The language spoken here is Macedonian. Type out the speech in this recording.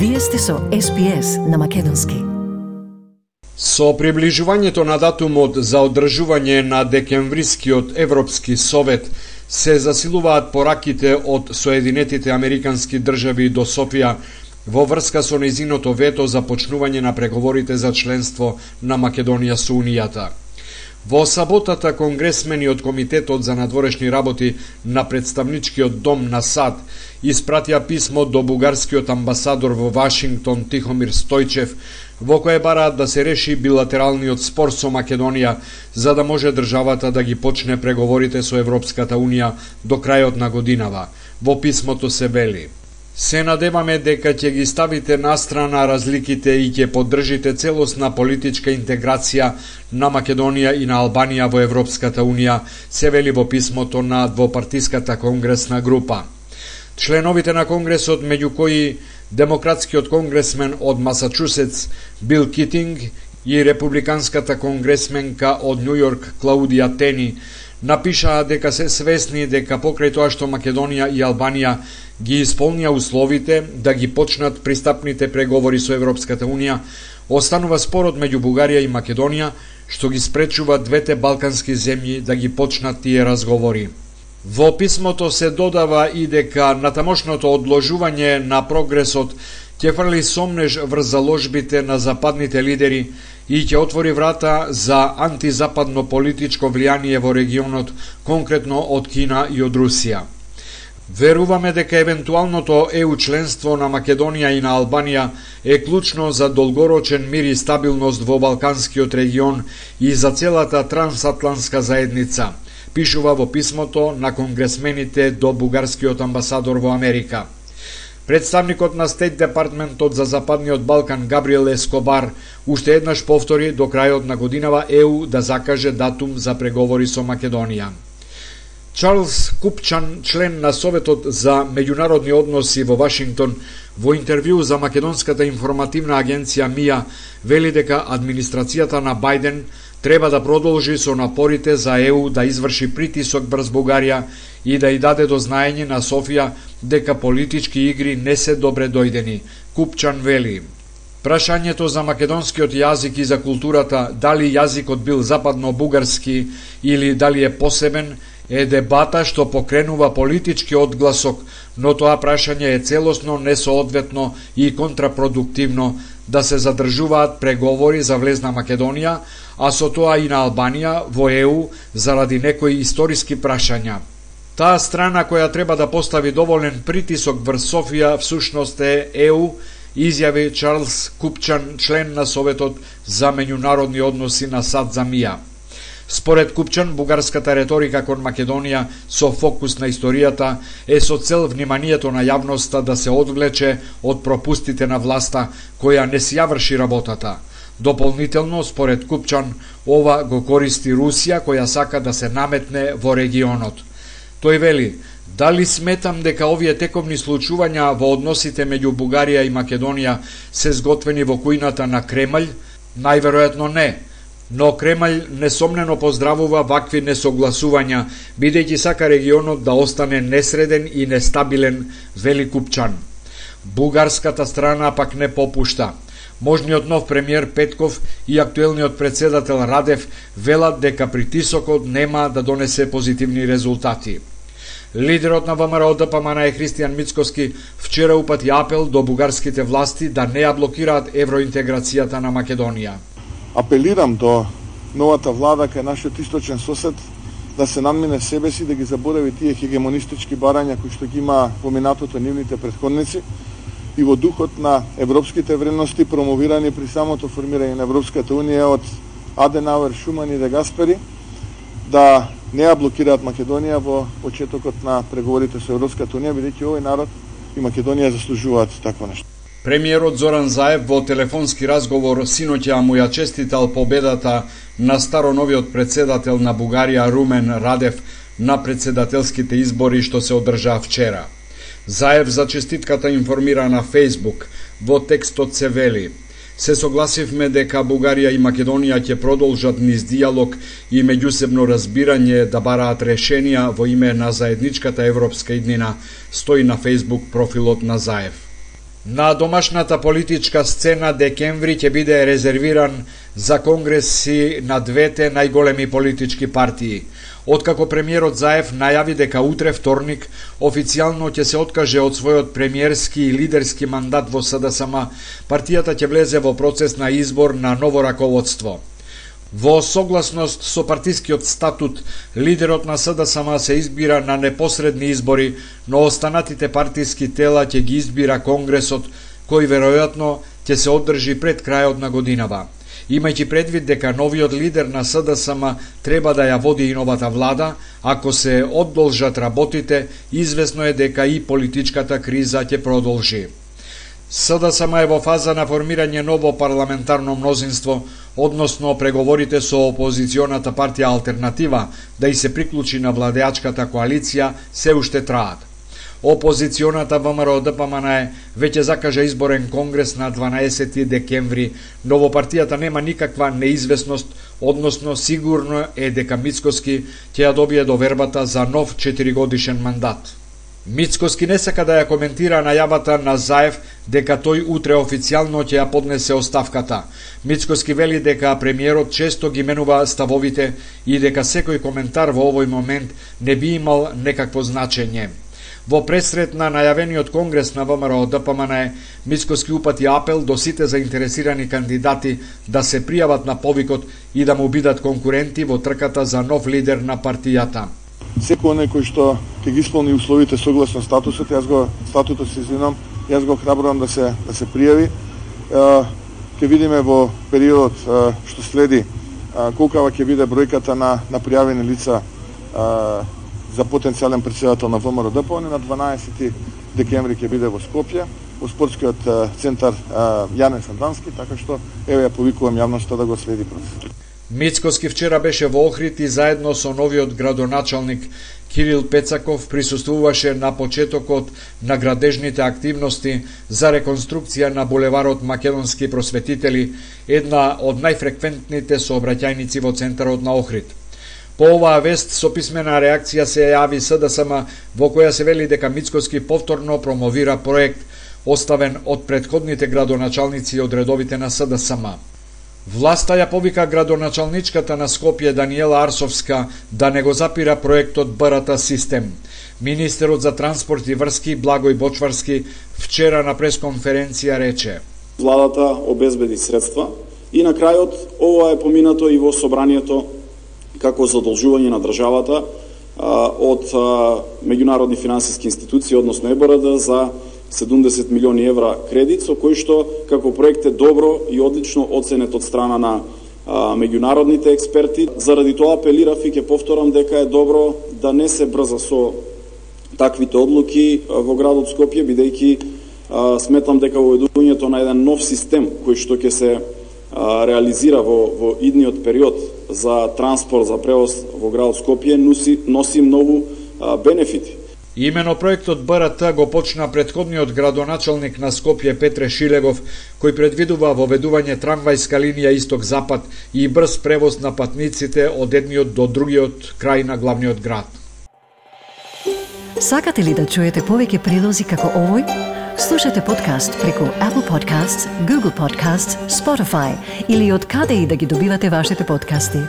Вие сте со SPS на македонски. Со приближувањето на датумот за одржување на декемврискиот Европски совет се засилуваат пораките од Соединетите Американски држави до Софија во врска со нејзиното вето за почнување на преговорите за членство на Македонија со Унијата. Во саботата конгресмени од Комитетот за надворешни работи на Представничкиот дом на САД испратија писмо до бугарскиот амбасадор во Вашингтон Тихомир Стојчев, во кое бараат да се реши билатералниот спор со Македонија, за да може државата да ги почне преговорите со Европската Унија до крајот на годинава. Во писмото се вели: се надеваме дека ќе ги ставите настрана разликите и ќе поддржите целосна политичка интеграција на Македонија и на Албанија во Европската Унија, се вели во писмото на двопартиската конгресна група. Членовите на Конгресот, меѓу кои демократскиот конгресмен од Масачусетс Бил Китинг и републиканската конгресменка од Њу Јорк Клаудија Тени, напишаа дека се свесни дека покрај тоа што Македонија и Албанија ги исполнија условите да ги почнат пристапните преговори со Европската Унија, останува спорот меѓу Бугарија и Македонија, што ги спречува двете балкански земји да ги почнат тие разговори. Во писмото се додава и дека натамошното одложување на прогресот ќе фрли сомнеж врз заложбите на западните лидери и ќе отвори врата за антизападно политичко влијание во регионот, конкретно од Кина и од Русија. Веруваме дека евентуалното ЕУ членство на Македонија и на Албанија е клучно за долгорочен мир и стабилност во Балканскиот регион и за целата трансатлантска заедница, пишува во писмото на конгресмените до бугарскиот амбасадор во Америка. Представникот на Стейт Департментот за Западниот Балкан Габриел Ескобар уште еднаш повтори до крајот на годинава ЕУ да закаже датум за преговори со Македонија. Чарлс Купчан, член на Советот за меѓународни односи во Вашингтон, во интервју за македонската информативна агенција МИА, вели дека администрацијата на Бајден треба да продолжи со напорите за ЕУ да изврши притисок врз Бугарија и да ја даде до знаење на Софија дека политички игри не се добре дојдени. Купчан вели: прашањето за македонскиот јазик и за културата, дали јазикот бил западно-бугарски или дали е посебен, е дебата што покренува политички одгласок, но тоа прашање е целосно несоодветно и контрапродуктивно да се задржуваат преговори за влез на Македонија, а со тоа и на Албанија во ЕУ заради некои историски прашања. Таа страна која треба да постави доволен притисок врз Софија всушност е ЕУ, изјави Чарлс Купчан, член на Советот за меѓународни односи на САД за МИА. Според Купчан, бугарската реторика кон Македонија со фокус на историјата е со цел вниманието на јавноста да се одвлече од пропустите на власта која не си ја врши работата. Дополнително, според Купчан, ова го користи Русија која сака да се наметне во регионот. Тој вели: дали сметам дека овие тековни случувања во односите меѓу Бугарија и Македонија се сготвени во кујната на Кремљ? Најверојатно не. Но Кремљ несомнено поздравува вакви несогласувања, бидејќи сака регионот да остане несреден и нестабилен, вели Купчан. Бугарската страна пак не попушта. Можниот нов премиер Петков и актуелниот председател Радев велат дека притисокот нема да донесе позитивни резултати. Лидерот на ВМРО ДПМН Христијан Мицкоски вчера упати апел до бугарските власти да не ја блокираат евроинтеграцијата на Македонија. Апелирам до новата влада кај нашиот источен сосед да се надмине себе си, да ги заборави тие хегемонистички барања кои што ги има во минатото нивните претходници и во духот на европските вредности промовирани при самото формирање на Европската Унија од Аденауер, Шуман и Де Гаспери, да не ја блокираат Македонија во почетокот на преговорите со Европската Унија, бидејќи овој народ и Македонија заслужуваат такво нешто. Премиерот Зоран Заев во телефонски разговор синоќа му ја честитал победата на староновиот председател на Бугарија Румен Радев на председателските избори што се одржаа вчера. Заев за честитката информира на Фејсбук. Во текстот се вели: се согласивме дека Бугарија и Македонија ќе продолжат низ диалог и меѓусебно разбирање да бараат решенија во име на заедничката европска иднина, стои на Фејсбук профилот на Заев. На домашната политичка сцена декември ќе биде резервиран за конгреси на двете најголеми политички партии. Откако премиерот Заев најави дека утре вторник официјално ќе се откаже од својот премиерски и лидерски мандат во СДСМ, партијата ќе влезе во процес на избор на ново раководство. Во согласност со партискиот статут, лидерот на СДСМ се избира на непосредни избори, но останатите партиски тела ќе ги избира Конгресот, кој веројатно ќе се одржи пред крајот на годинава. Имајќи предвид дека новиот лидер на СДСМ треба да ја води и новата влада, ако се одолжат работите, известно е дека и политичката криза ќе продолжи. СДСМ е во фаза на формирање ново парламентарно мнозинство, односно преговорите со опозиционата партија Алтернатива да и се приклучи на владеачката коалиција се уште траат. Опозиционата ВМРО-ДПМН веќе закажа изборен конгрес на 12 декември, но во партијата нема никаква неизвестност, односно сигурно е дека Мицкоски ќе ја добие довербата за нов 4-годишен мандат. Мицкоски не сака да ја коментира најавата на Заев дека тој утре официјално ќе ја поднесе оставката. Мицкоски вели дека премиерот често ги менува ставовите и дека секој коментар во овој момент не би имал некакво значење. Во пресрет на најавениот конгрес на ВМРО-ДПМН, Мицкоски упати апел до сите заинтересирани кандидати да се пријават на повикот и да му бидат конкуренти во трката за нов лидер на партијата. Секој оној кој што ќе ги исполни условите согласно статусот, статутот се извинам, јас го храбрувам да се пријави. Ќе видиме во периодот што следи колкава ќе биде бројката на пријавени лица за потенцијален претседател на ВМРО-ДПМН. На 12 декември ќе биде во Скопје, во спортскиот центар Јане Сандански, така што еве ја повикувам јавноста да го следи процесот. Мицкоски вчера беше во Охрид и заедно со новиот градоначалник Кирил Пецаков присуствуваше на почетокот на градежните активности за реконструкција на булеварот Македонски просветители, една од најфреквентните сообраќајници во центарот на Охрид. По оваа вест со писмена реакција се јави СДСМ, во која се вели дека Мицкоски повторно промовира проект оставен од претходните градоначалници од редовите на СДСМ. Власта ја повика градоначалничката на Скопје Даниела Арсовска да не го запира проектот БРТ систем. Министерот за транспорт и врски Благој Бочварски вчера на пресконференција рече: Владата обезбеди средства и на крајот ова е поминато и во собранието како задолжување на државата од меѓународни финансиски институции, односно ЕБРД, за 70 милиони евра кредит, со кој што како проект е добро и одлично оценет од страна на меѓународните експерти. Заради тоа апелирав и ќе повторам дека е добро да не се брза со таквите одлуки во градот Скопје, бидејќи сметам дека воведувањето на еден нов систем кој што ќе се реализира во идниот период за транспорт, за превоз во градот Скопје носи многу бенефити. Имено проектот БРТ го почна претходниот градоначалник на Скопје Петре Шилегов, кој предвидува воведување трамвајска линија исток-запад и брз превоз на патниците од едниот до другиот крај на главниот град. Сакате ли да чуете повеќе прилози како овој? Слушате подкаст преку Apple Podcasts, Google Podcasts, Spotify или од каде и да ги добивате вашите подкасти.